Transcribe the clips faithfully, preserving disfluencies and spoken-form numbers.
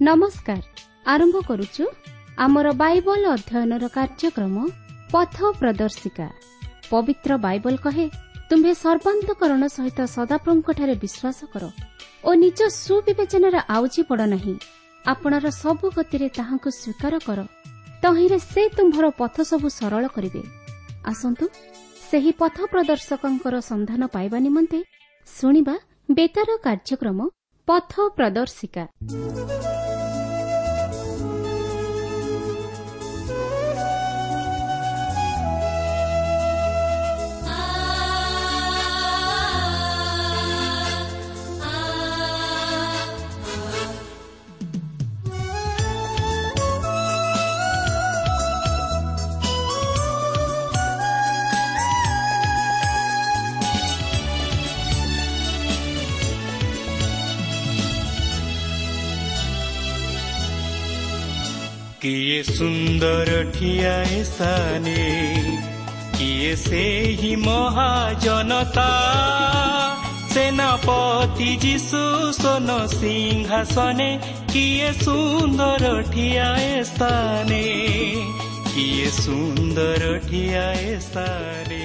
ନମସ୍କାର। ଆରମ୍ଭ କରୁଛୁ ଆମର ବାଇବଲ ଅଧ୍ୟୟନର କାର୍ଯ୍ୟକ୍ରମ ପଥ ପ୍ରଦର୍ଶିକା। ପବିତ୍ର ବାଇବଲ କହେ, ତୁମ୍ଭେ ସର୍ବାନ୍ତକରଣ ସହିତ ସଦାପ୍ରଭୁଙ୍କଠାରେ ବିଶ୍ୱାସ କର ଓ ନିଜ ସୁବିବେଚନାରେ ଆଉଜି ପଡ଼ ନାହିଁ। ଆପଣାର ସବୁ ଗତିରେ ତାହାଙ୍କୁ ସ୍ୱୀକାର କର, ତହିଁରେ ସେ ତୁମ୍ଭର ପଥ ସବୁ ସରଳ କରିବେ। ଆସନ୍ତୁ ସେହି ପଥ ପ୍ରଦର୍ଶକଙ୍କର ସନ୍ଧାନ ପାଇବା ନିମନ୍ତେ ଶୁଣିବା ବେତାର କାର୍ଯ୍ୟକ୍ରମ ପଥ ପ୍ରଦର୍ଶିକା। କିଏ ସୁନ୍ଦର ଠିଆଏ ସ୍ଥାନେ, କିଏ ସେହି ମହାଜନତା, ସେନାପତି ଯୀଶୁ ସୋନ ସିଂହାସନେ। କିଏ ସୁନ୍ଦର ଠିଆଏ ସ୍ଥାନେ, କିଏ ସୁନ୍ଦର ଠିଆଏ ସ୍ଥାନେ।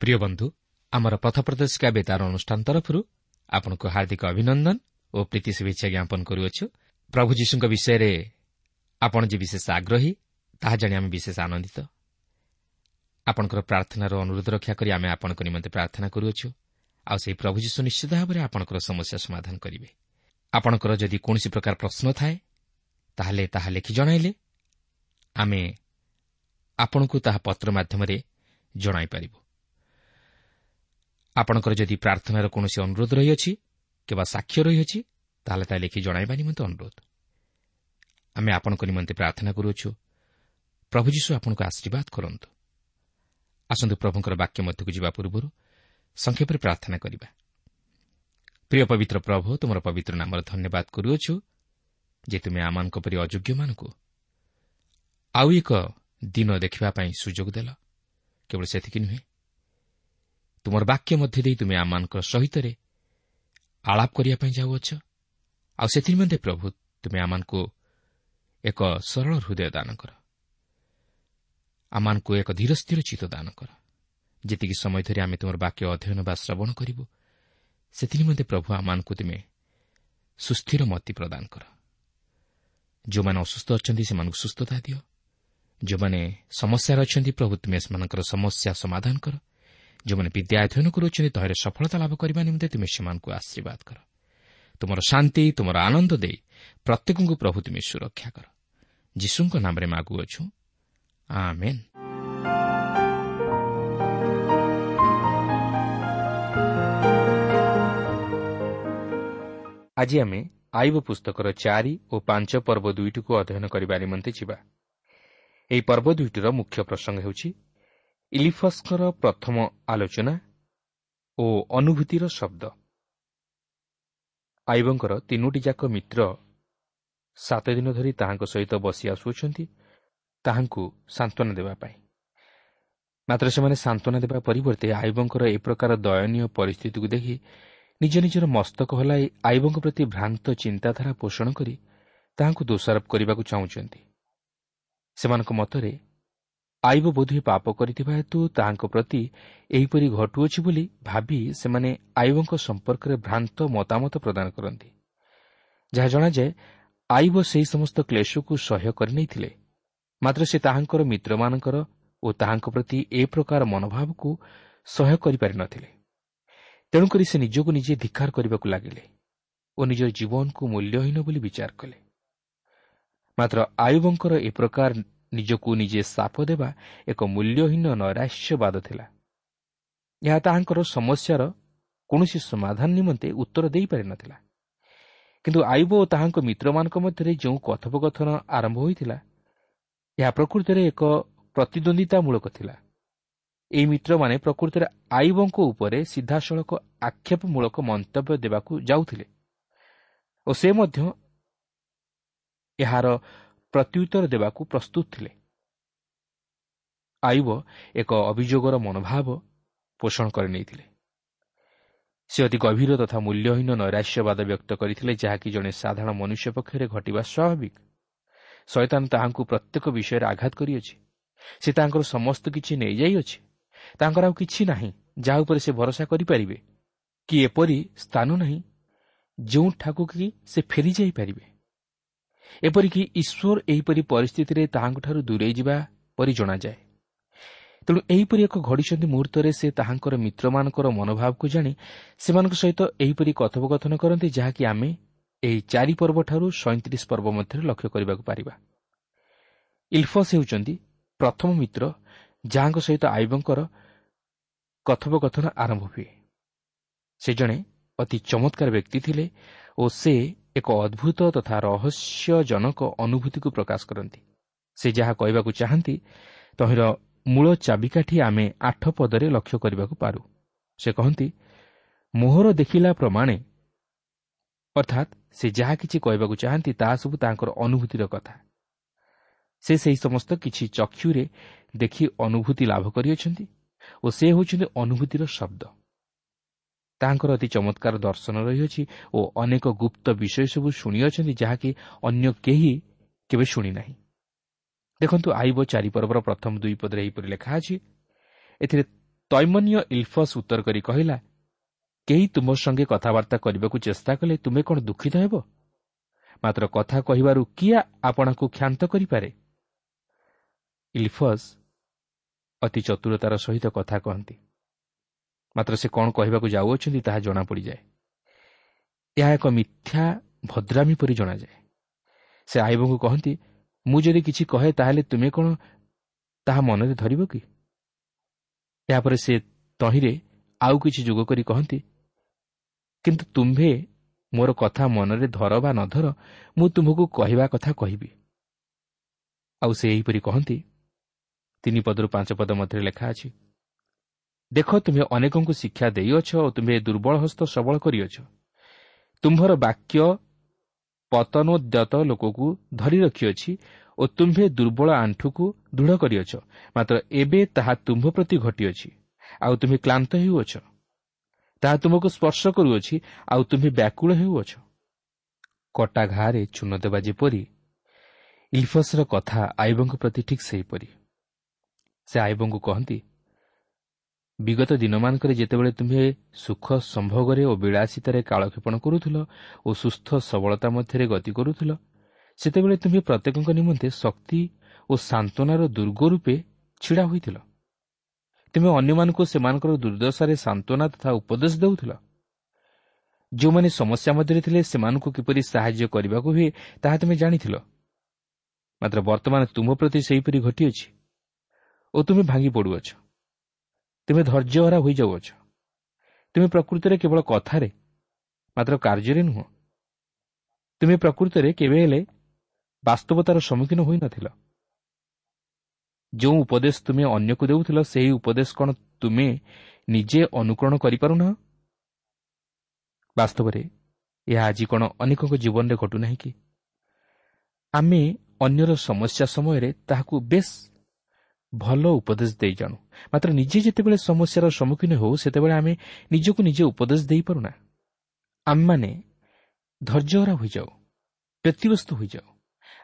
ପ୍ରିୟ ବନ୍ଧୁ, ଆମର ପଥ ପ୍ରଦର୍ଶିକା ବେତାର ଅନୁଷ୍ଠାନ ତରଫରୁ ଆପଣଙ୍କୁ ହାର୍ଦ୍ଦିକ ଅଭିନନ୍ଦନ ଓ ପ୍ରୀତି ଶୁଭେଚ୍ଛା ଜ୍ଞାପନ କରୁଅଛୁ। ପ୍ରଭୁ ଯୀଶୁଙ୍କ ବିଷୟରେ ଆପଣ ଯେ ବିଶେଷ ଆଗ୍ରହୀ ତାହା ଜାଣି ଆମେ ବିଶେଷ ଆନନ୍ଦିତ। ଆପଣଙ୍କର ପ୍ରାର୍ଥନାର ଅନୁରୋଧ ରକ୍ଷା କରି ଆମେ ଆପଣଙ୍କ ନିମନ୍ତେ ପ୍ରାର୍ଥନା କରୁଅଛୁ, ଆଉ ସେହି ପ୍ରଭୁ ଯୀଶୁ ନିଶ୍ଚିତ ଭାବରେ ଆପଣଙ୍କର ସମସ୍ୟା ସମାଧାନ କରିବେ। ଆପଣଙ୍କର ଯଦି କୌଣସି ପ୍ରକାର ପ୍ରଶ୍ନ ଥାଏ ତାହେଲେ ତାହା ଲେଖି ଜଣାଇଲେ ଆମେ ଆପଣଙ୍କୁ ତାହା ପତ୍ର ମାଧ୍ୟମରେ ଜଣାଇପାରିବୁ। ଆପଣଙ୍କର ଯଦି ପ୍ରାର୍ଥନାର କୌଣସି ଅନୁରୋଧ ରହିଅଛି କିମ୍ବା ସାକ୍ଷ୍ୟ ରହିଅଛି ତାହେଲେ ତାହା ଲେଖି ଜଣାଇବା ନିମନ୍ତେ ଅନୁରୋଧ। ଆମେ ଆପଣଙ୍କ ନିମନ୍ତେ ପ୍ରାର୍ଥନା କରୁଅଛୁ। ପ୍ରଭୁ ଯୀଶୁ ଆପଣଙ୍କୁ ଆଶୀର୍ବାଦ କରନ୍ତୁ। ଆସନ୍ତୁ ପ୍ରଭୁଙ୍କର ବାକ୍ୟ ମଧ୍ୟକୁ ଯିବା ପୂର୍ବରୁ ସଂକ୍ଷେପରେ ପ୍ରାର୍ଥନା କରିବା। ପ୍ରିୟ ପବିତ୍ର ପ୍ରଭୁ, ତୁମର ପବିତ୍ର ନାମର ଧନ୍ୟବାଦ କରୁଅଛୁ ଯେ ତୁମେ ଆମମାନଙ୍କ ପରି ଅଯୋଗ୍ୟମାନଙ୍କୁ ଆଉ ଏକ ଦିନ ଦେଖିବା ପାଇଁ ସୁଯୋଗ ଦେଲ। କେବଳ ସେତିକି ନୁହେଁ, ତୁମର ବାକ୍ୟ ମଧ୍ୟ ଦେଇ ତୁମେ ଆମମାନଙ୍କ ସହିତରେ ଆଳାପ କରିବା ପାଇଁ ଯାଉଅଛ। ଆଉ ସେଥିନିମନ୍ତେ ପ୍ରଭୁ ତୁମେ ଆମମାନଙ୍କୁ ଏକ ସରଳ ହୃଦୟ ଦାନ କର, ଆମମାନଙ୍କୁ ଏକ ଧୀର ସ୍ଥିର ଚିତ୍ତ ଦାନ କର। ଯେତିକି ସମୟ ଧରି ଆମେ ତୁମର ବାକ୍ୟ ଅଧ୍ୟୟନ ବା ଶ୍ରବଣ କରିବୁ ସେଥିନିମନ୍ତେ ପ୍ରଭୁ ଆମମାନଙ୍କୁ ତୁମେ ସୁସ୍ଥିର ମତି ପ୍ରଦାନ କର। ଯେଉଁମାନେ ଅସୁସ୍ଥ ଅଛନ୍ତି ସେମାନଙ୍କୁ ସୁସ୍ଥତା ଦିଅ। ଯେଉଁମାନେ ସମସ୍ୟାରେ ଅଛନ୍ତି ପ୍ରଭୁ ତୁମେ ସେମାନଙ୍କର ସମସ୍ୟା ସମାଧାନ କର। ଯେଉଁମାନେ ବିଦ୍ୟା ଅଧ୍ୟୟନ କରୁଅଛନ୍ତି ତହିଁରେ ସଫଳତା ଲାଭ କରିବା ନିମନ୍ତେ ତୁମେ ସେମାନଙ୍କୁ ଆଶୀର୍ବାଦ କର। ତୁମର ଶାନ୍ତି, ତୁମର ଆନନ୍ଦ ଦେଇ ପ୍ରତ୍ୟେକଙ୍କୁ ପ୍ରଭୁ ତୁମେ ସୁରକ୍ଷା କର। ଯୀଶୁଙ୍କ ନାମରେ ମାଗୁଅଛୁ, ଆମେନ୍। ଆଜି ଆମେ ଆଇବ ପୁସ୍ତକର ଚାରି ଓ ପାଞ୍ଚ ପର୍ବ ଦୁଇଟିକୁ ଅଧ୍ୟୟନ କରିବା ନିମନ୍ତେ ଯିବା। ଏହି ପର୍ବ ଦୁଇଟିର ମୁଖ୍ୟ ପ୍ରସଙ୍ଗ ହେଉଛି ଇଲିଫସ୍ଙ୍କର ପ୍ରଥମ ଆଲୋଚନା ଓ ଅନୁଭୂତିର ଶବ୍ଦ। ଆଇବଙ୍କର ତିନୋଟି ଯାକ ମିତ୍ର ସାତ ଦିନ ଧରି ତାହାଙ୍କ ସହିତ ବସି ଆସୁଅଛନ୍ତି ତାହାଙ୍କୁ ସାନ୍ତ୍ୱନା ଦେବା ପାଇଁ। ମାତ୍ର ସେମାନେ ସାନ୍ତ୍ୱନା ଦେବା ପରିବର୍ତ୍ତେ ଆଇବଙ୍କର ଏ ପ୍ରକାର ଦୟନୀୟ ପରିସ୍ଥିତିକୁ ଦେଖି ନିଜ ନିଜର ମସ୍ତକ ହଲାଇ ଆଇବଙ୍କ ପ୍ରତି ଭ୍ରାନ୍ତ ଚିନ୍ତାଧାରା ପୋଷଣ କରି ତାହାଙ୍କୁ ଦୋଷାରୋପ କରିବାକୁ ଚାହୁଁଛନ୍ତି। ସେମାନଙ୍କ ମତରେ ଆଇବ ବୋଧହୁଏ ପାପ କରିଥିବା ହେତୁ ତାହାଙ୍କ ପ୍ରତି ଏହିପରି ଘଟୁଅଛି ବୋଲି ଭାବି ସେମାନେ ଆଇବଙ୍କ ସମ୍ପର୍କରେ ଭ୍ରାନ୍ତ ମତାମତ ପ୍ରଦାନ କରନ୍ତି। ଯାହା ଜଣାଯାଏ ଆଇବ ସେହି ସମସ୍ତ କ୍ଲେଶକୁ ସହ୍ୟ କରିନେଇଥିଲେ, ମାତ୍ର ସେ ତାହାଙ୍କର ମିତ୍ରମାନଙ୍କର ଓ ତାହାଙ୍କ ପ୍ରତି ଏ ପ୍ରକାର ମନୋଭାବକୁ ସହ୍ୟ କରିପାରିନଥିଲେ। ତେଣୁକରି ସେ ନିଜକୁ ନିଜେ ଧିକ୍କାର କରିବାକୁ ଲାଗିଲେ ଓ ନିଜ ଜୀବନକୁ ମୂଲ୍ୟହୀନ ବୋଲି ବିଚାର କଲେ। ମାତ୍ର ଆୟୁବଙ୍କର ଏ ପ୍ରକାର ନିଜକୁ ନିଜେ ଶାପ ଦେବା ଏକ ମୂଲ୍ୟହୀନ ନୈରାଶ୍ୟବାଦ ଥିଲା। ଏହା ତାହାଙ୍କର ସମସ୍ୟାର କୌଣସି ସମାଧାନ ନିମନ୍ତେ ଉତ୍ତର ଦେଇପାରିନଥିଲା। କିନ୍ତୁ ଆୟୁବ ଓ ତାହାଙ୍କ ମିତ୍ରମାନଙ୍କ ମଧ୍ୟରେ ଯେଉଁ କଥୋପକଥନ ଆରମ୍ଭ ହୋଇଥିଲା, ଏହା ପ୍ରକୃତରେ ଏକ ପ୍ରତିଦ୍ୱନ୍ଦ୍ୱିତାମୂଳକ ଥିଲା। ଏହି ମିତ୍ରମାନେ ପ୍ରକୃତରେ ଆୟୁବଙ୍କ ଉପରେ ସିଧାସଳଖ ଆକ୍ଷେପମୂଳକ ମନ୍ତବ୍ୟ ଦେବାକୁ ଯାଉଥିଲେ ଓ ସେ ମଧ୍ୟ ଏହାର ପ୍ରତ୍ୟୁତ୍ତର ଦେବାକୁ ପ୍ରସ୍ତୁତ ଥିଲେ। ଆୟୁବ ଏକ ଅଭିଯୋଗର ମନୋଭାବ ପୋଷଣ କରିନେଇଥିଲେ। ସେ ଅତି ଗଭୀର ତଥା ମୂଲ୍ୟହୀନ ନୈରାଶ୍ୟବାଦ ବ୍ୟକ୍ତ କରିଥିଲେ, ଯାହାକି ଜଣେ ସାଧାରଣ ମନୁଷ୍ୟ ପକ୍ଷରେ ଘଟିବା ସ୍ୱାଭାବିକ। ଶୟତାନ ତାହାଙ୍କୁ ପ୍ରତ୍ୟେକ ବିଷୟରେ ଆଘାତ କରିଅଛି। ସେ ତାଙ୍କର ସମସ୍ତ କିଛି ନେଇଯାଇଅଛି। ତାଙ୍କର ଆଉ କିଛି ନାହିଁ ଯାହା ଉପରେ ସେ ଭରସା କରିପାରିବେ, କି ଏପରି ସ୍ଥାନ ନାହିଁ ଯେଉଁଠାକୁ କି ସେ ଫେରିଯାଇପାରିବେ। ଏପରିକି ଈଶ୍ୱର ଏହିପରି ପରିସ୍ଥିତିରେ ତାହାଙ୍କଠାରୁ ଦୂରେଇ ଯିବା ପରି ଜଣାଯାଏ। ତେଣୁ ଏହିପରି ଏକ ଘଡ଼ିସନ୍ଧି ମୁହୂର୍ତ୍ତରେ ସେ ତାହାଙ୍କର ମିତ୍ରମାନଙ୍କର ମନୋଭାବକୁ ଜାଣି ସେମାନଙ୍କ ସହିତ ଏହିପରି କଥୋପକଥନ କରନ୍ତି, ଯାହାକି ଆମେ ଏହି ଚାରି ପର୍ବଠାରୁ ସଇଁତିରିଶ ପର୍ବ ମଧ୍ୟରେ ଲକ୍ଷ୍ୟ କରିବାକୁ ପାରିବା। ଇଲଫସ୍ ହେଉଛନ୍ତି ପ୍ରଥମ ମିତ୍ର ଯାହାଙ୍କ ସହିତ ଆଇବଙ୍କର କଥୋପକଥନ ଆରମ୍ଭ ହୁଏ। ସେ ଜଣେ ଅତି ଚମତ୍କାର ବ୍ୟକ୍ତି ଥିଲେ ଓ ସେ ଏକ ଅଦ୍ଭୁତ ତଥା ରହସ୍ୟଜନକ ଅନୁଭୂତିକୁ ପ୍ରକାଶ କରନ୍ତି। ସେ ଯାହା କହିବାକୁ ଚାହାନ୍ତି ତହିଁର ମୂଳ ଚାବିକାଠି ଆମେ ଆଠ ପଦରେ ଲକ୍ଷ୍ୟ କରିବାକୁ ପାରୁ। ସେ କହନ୍ତି, ମୋହର ଦେଖିଲା ପ୍ରମାଣେ, ଅର୍ଥାତ୍ ସେ ଯାହା କିଛି କହିବାକୁ ଚାହାନ୍ତି ତାହା ସବୁ ତାଙ୍କର ଅନୁଭୂତିର କଥା। ସେ ସେହି ସମସ୍ତ କିଛି ଚକ୍ଷୁରେ ଦେଖି ଅନୁଭୂତି ଲାଭ କରିଅଛନ୍ତି ଓ ସେ ହେଉଛନ୍ତି ଅନୁଭୂତିର ଶବ୍ଦ। ତାଙ୍କର ଅତି ଚମତ୍କାର ଦର୍ଶନ ରହିଅଛି ଓ ଅନେକ ଗୁପ୍ତ ବିଷୟ ସବୁ ଶୁଣିଅଛନ୍ତି, ଯାହାକି ଅନ୍ୟ କେହି କେବେ ଶୁଣିନାହିଁ। ଦେଖନ୍ତୁ, ଆଇବ ଚାରି ପର୍ବର ପ୍ରଥମ ଦୁଇ ପଦରେ ଏହିପରି ଲେଖା ଅଛି। ଏଥିରେ ତୈମନୀୟ ଇଲଫସ୍ ଉତ୍ତର କରି କହିଲା, କେହି ତୁମ ସଙ୍ଗେ କଥାବାର୍ତ୍ତା କରିବାକୁ ଚେଷ୍ଟା କଲେ ତୁମେ କ'ଣ ଦୁଃଖିତ ହେବ? ମାତ୍ର କଥା କହିବାରୁ କିଏ ଆପଣଙ୍କୁ କ୍ଷାନ୍ତ କରିପାରେ? ଇଲଫସ୍ ଅତି ଚତୁରତାର ସହିତ କଥା କହନ୍ତି, ମାତ୍ର ସେ କ'ଣ କହିବାକୁ ଯାଉଅଛନ୍ତି ତାହା ଜଣାପଡ଼ିଯାଏ। ଏହା ଏକ ମିଥ୍ୟା ଭଦ୍ରାମୀ ପରି ଜଣାଯାଏ। ସେ ଆଇବଙ୍କୁ କହନ୍ତି, ମୁଁ ଯଦି କିଛି କହେ ତାହେଲେ ତୁମେ କ'ଣ ତାହା ମନରେ ଧରିବ କି? ଏହାପରେ ସେ ତହିଁରେ ଆଉ କିଛି ଯୋଗ କରି କହନ୍ତି, କିନ୍ତୁ ତୁମ୍ଭେ ମୋର କଥା ମନରେ ଧର ବା ନ ଧର, ମୁଁ ତୁମ୍ଭକୁ କହିବା କଥା କହିବି। ଆଉ ସେ ଏହିପରି କହନ୍ତି, ତିନି ପଦରୁ ପାଞ୍ଚ ପଦ ମଧ୍ୟରେ ଲେଖା ଅଛି, ଦେଖ, ତୁମ୍ଭେ ଅନେକଙ୍କୁ ଶିକ୍ଷା ଦେଇଅଛ ଓ ତୁମ୍ଭେ ଦୁର୍ବଳ ହସ୍ତ ସବଳ କରିଅଛ। ତୁମ୍ଭର ବାକ୍ୟ ପତନୋଦ୍ୟତ ଲୋକକୁ ଧରି ରଖିଅଛି ଓ ତୁମ୍ଭେ ଦୁର୍ବଳ ଆଣ୍ଠୁକୁ ଦୃଢ଼ କରିଅଛ। ମାତ୍ର ଏବେ ତାହା ତୁମ୍ଭ ପ୍ରତି ଘଟିଅଛି, ଆଉ ତୁମ୍ଭେ କ୍ଳାନ୍ତ ହେଉଅଛ। ତାହା ତୁମକୁ ସ୍ପର୍ଶ କରୁଅଛି, ଆଉ ତୁମ୍ଭେ ବ୍ୟାକୁଳ ହେଉଅଛ। କଟା ଘାରେ ଚୂନ ଦେବା ଯେପରି, ଇଲଫସର କଥା ଆଇବଙ୍କ ପ୍ରତି ଠିକ୍ ସେହିପରି। ସେ ଆଇବଙ୍କୁ କହନ୍ତି, ବିଗତ ଦିନମାନଙ୍କରେ ଯେତେବେଳେ ତୁମ୍ଭେ ସୁଖ ସମ୍ଭୋଗରେ ଓ ବିଳାସିତାରେ କାଳକ୍ଷେପଣ କରୁଥିଲ ଓ ସୁସ୍ଥ ସବଳତା ମଧ୍ୟରେ ଗତି କରୁଥିଲ, ସେତେବେଳେ ତୁମ୍ଭେ ପ୍ରତ୍ୟେକଙ୍କ ନିମନ୍ତେ ଶକ୍ତି ଓ ସାନ୍ତ୍ୱନାର ଦୁର୍ଗ ରୂପେ ଛିଡ଼ା ହୋଇଥିଲ। ତୁମେ ଅନ୍ୟମାନଙ୍କୁ ସେମାନଙ୍କର ଦୁର୍ଦ୍ଦଶାରେ ସାନ୍ତ୍ୱନା ତଥା ଉପଦେଶ ଦେଉଥିଲ। ଯେଉଁମାନେ ସମସ୍ୟା ମଧ୍ୟରେ ଥିଲେ ସେମାନଙ୍କୁ କିପରି ସାହାଯ୍ୟ କରିବାକୁ ହୁଏ ତାହା ତୁମେ ଜାଣିଥିଲ। ମାତ୍ର ବର୍ତ୍ତମାନ ତୁମ ପ୍ରତି ସେହିପରି ଘଟିଅଛି ଓ ତୁମେ ଭାଙ୍ଗି ପଡ଼ୁଅଛ। ତୁମେ ଧୈର୍ଯ୍ୟହରା ହୋଇଯାଉଅଛ। ତୁମେ ପ୍ରକୃତରେ କେବଳ କଥାରେ, ମାତ୍ର କାର୍ଯ୍ୟରେ ନୁହଁ। ତୁମେ ପ୍ରକୃତରେ କେବେ ହେଲେ ବାସ୍ତବତାର ସମ୍ମୁଖୀନ ହୋଇନଥିଲ। ଯେଉଁ ଉପଦେଶ ତୁମେ ଅନ୍ୟକୁ ଦେଉଥିଲ, ସେହି ଉପଦେଶ କ'ଣ ତୁମେ ନିଜେ ଅନୁକରଣ କରିପାରୁନାହ? ବାସ୍ତବରେ ଏହା ଆଜି କ'ଣ ଅନେକଙ୍କ ଜୀବନରେ ଘଟୁନାହିଁ କି? ଆମେ ଅନ୍ୟର ସମସ୍ୟା ସମୟରେ ତାହାକୁ ବେଶ୍ ଭଲ ଉପଦେଶ ଦେଇ ଜାଣୁ, ମାତ୍ର ନିଜେ ଯେତେବେଳେ ସମସ୍ୟାର ସମ୍ମୁଖୀନ ହେଉ ସେତେବେଳେ ଆମେ ନିଜକୁ ନିଜେ ଉପଦେଶ ଦେଇପାରୁନା। ଆମେମାନେ ଧୈର୍ଯ୍ୟହରା ହୋଇଯାଉ, ବ୍ୟତିବ୍ୟସ୍ତ ହୋଇଯାଉ।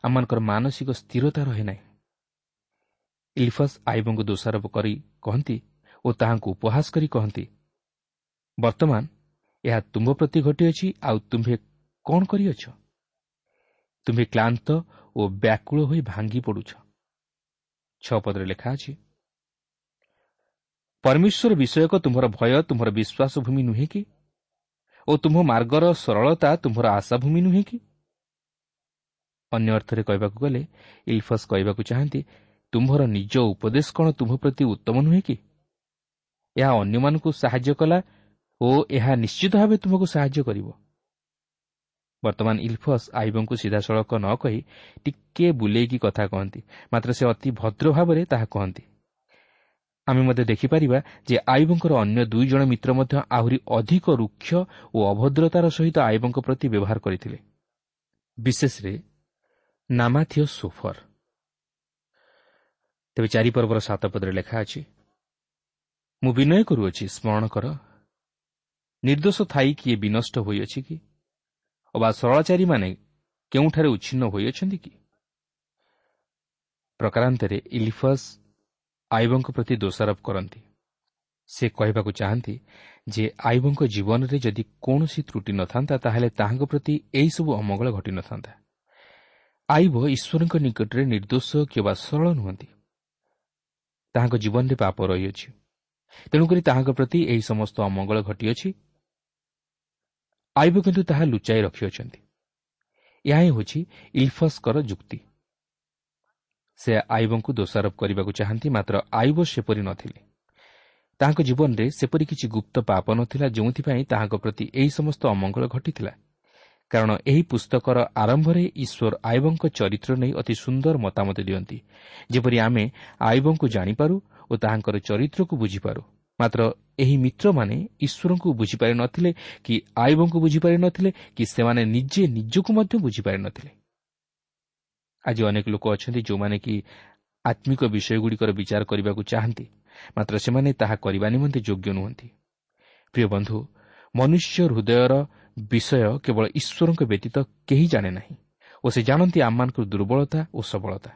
ଆମମାନଙ୍କର ମାନସିକ ସ୍ଥିରତା ରହେ ନାହିଁ। ଇଲଫସ୍ ଆଇବଙ୍କୁ ଦୋଷାରୋପ କରି କହନ୍ତି ଓ ତାହାଙ୍କୁ ଉପହାସ କରି କହନ୍ତି, ବର୍ତ୍ତମାନ ଏହା ତୁମ୍ଭ ପ୍ରତି ଘଟିଅଛି, ଆଉ ତୁମ୍ଭେ କ'ଣ କରିଅଛ? ତୁମ୍ଭେ କ୍ଳାନ୍ତ ଓ ବ୍ୟାକୁଳ ହୋଇ ଭାଙ୍ଗି ପଡ଼ୁଛ। ଛଅ ପଦରେ ଲେଖା ଅଛି, ପରମେଶ୍ୱର ବିଷୟକ ତୁମ୍ଭର ଭୟ ତୁମ୍ଭର ବିଶ୍ୱାସ ଭୂମି ନୁହେଁ କି? ଓ ତୁମ୍ଭ ମାର୍ଗର ସରଳତା ତୁମ୍ଭର ଆଶାଭୂମି ନୁହେଁ କି? ଅନ୍ୟ ଅର୍ଥରେ କହିବାକୁ ଗଲେ ଇଲଫସ୍ କହିବାକୁ ଚାହାନ୍ତି, ତୁମ୍ଭର ନିଜ ଉପଦେଶ କ'ଣ ତୁମ୍ଭ ପ୍ରତି ଉତ୍ତମ ନୁହେଁ କି? ଏହା ଅନ୍ୟମାନଙ୍କୁ ସାହାଯ୍ୟ କଲା ଓ ଏହା ନିଶ୍ଚିତ ଭାବେ ତୁମକୁ ସାହାଯ୍ୟ କରିବ। ବର୍ତ୍ତମାନ ଇଲଫସ୍ ଆଇବଙ୍କୁ ସିଧାସଳଖ ନ କହି ଟିକିଏ ବୁଲେଇକି କଥା କହନ୍ତି, ମାତ୍ର ସେ ଅତି ଭଦ୍ର ଭାବରେ ତାହା କହନ୍ତି। ଆମେ ମଧ୍ୟ ଦେଖିପାରିବା ଯେ ଆଇବଙ୍କର ଅନ୍ୟ ଦୁଇ ଜଣ ମିତ୍ର ମଧ୍ୟ ଆହୁରି ଅଧିକ ରୁକ୍ଷ ଓ ଅଭଦ୍ରତାର ସହିତ ଆଇବଙ୍କ ପ୍ରତି ବ୍ୟବହାର କରିଥିଲେ, ବିଶେଷରେ ନାମାଥିୟ ସୋଫର। ତେବେ ଚାରିପର୍ବର ସାତ ପଦରେ ଲେଖା ଅଛି, ମୁଁ ବିନୟ କରୁଅଛି, ସ୍ମରଣ କର ନିର୍ଦ୍ଦୋଷ ଥାଇ କିଏ ବିନଷ୍ଟ ହୋଇଅଛି କି? ଅବା ସରଳାଚାରୀମାନେ କେଉଁଠାରେ ଉଚ୍ଛିନ୍ନ ହୋଇଅଛନ୍ତି କି? ପ୍ରକାରାନ୍ତରେ ଇଲିଫସ୍ ଆଇବଙ୍କ ପ୍ରତି ଦୋଷାରୋପ କରନ୍ତି। ସେ କହିବାକୁ ଚାହାନ୍ତି ଯେ ଆଇବଙ୍କ ଜୀବନରେ ଯଦି କୌଣସି ତ୍ରୁଟି ନଥାନ୍ତା, ତାହେଲେ ତାହାଙ୍କ ପ୍ରତି ଏହିସବୁ ଅମଙ୍ଗଳ ଘଟିନଥାନ୍ତା। ଆଇବ ଈଶ୍ୱରଙ୍କ ନିକଟରେ ନିର୍ଦ୍ଦୋଷ କିମ୍ବା ସରଳ ନୁହନ୍ତି। ତାହାଙ୍କ ଜୀବନରେ ପାପ ରହିଅଛି, ତେଣୁକରି ତାହାଙ୍କ ପ୍ରତି ଏହି ସମସ୍ତ ଅମଙ୍ଗଳ ଘଟିଅଛି। ଆଇବ କିନ୍ତୁ ତାହା ଲୁଚାଇ ରଖିଅଛନ୍ତି। ଏହା ହିଁ ହେଉଛି ଇଲଫସ୍ଙ୍କର ଯୁକ୍ତି। ସେ ଆଇବଙ୍କୁ ଦୋଷାରୋପ କରିବାକୁ ଚାହାନ୍ତି, ମାତ୍ର ଆଇବ ସେପରି ନଥିଲେ। ତାହାଙ୍କ ଜୀବନରେ ସେପରି କିଛି ଗୁପ୍ତ ପାପ ନଥିଲା ଯେଉଁଥିପାଇଁ ତାହାଙ୍କ ପ୍ରତି ଏହି ସମସ୍ତ ଅମଙ୍ଗଳ ଘଟିଥିଲା। କାରଣ ଏହି ପୁସ୍ତକର ଆରମ୍ଭରେ ଈଶ୍ୱର ଆଇବଙ୍କ ଚରିତ୍ର ନେଇ ଅତି ସୁନ୍ଦର ମତାମତ ଦିଅନ୍ତି, ଯେପରି ଆମେ ଆଇବଙ୍କୁ ଜାଣିପାରୁ ଓ ତାହାଙ୍କର ଚରିତ୍ରକୁ ବୁଝିପାରୁ। ମାତ୍ର ଏହି ମିତ୍ରମାନେ ଈଶ୍ୱରଙ୍କୁ ବୁଝିପାରିନଥିଲେ କି ଆଇବଙ୍କୁ ବୁଝିପାରିନଥିଲେ କି ସେମାନେ ନିଜେ ନିଜକୁ ମଧ୍ୟ ବୁଝିପାରିନଥିଲେ। ଆଜି ଅନେକ ଲୋକ ଅଛନ୍ତି ଯେଉଁମାନେ କି ଆତ୍ମିକ ବିଷୟଗୁଡ଼ିକର ବିଚାର କରିବାକୁ ଚାହାନ୍ତି, ମାତ୍ର ସେମାନେ ତାହା କରିବା ନିମନ୍ତେ ଯୋଗ୍ୟ ନୁହନ୍ତି। ପ୍ରିୟ ବନ୍ଧୁ, ମନୁଷ୍ୟ ହୃଦୟର ବିଷୟ କେବଳ ଈଶ୍ୱରଙ୍କ ବ୍ୟତୀତ କେହି ଜାଣେ ନାହିଁ ଓ ସେ ଜାଣନ୍ତି ଆମମାନଙ୍କର ଦୁର୍ବଳତା ଓ ସବଳତା।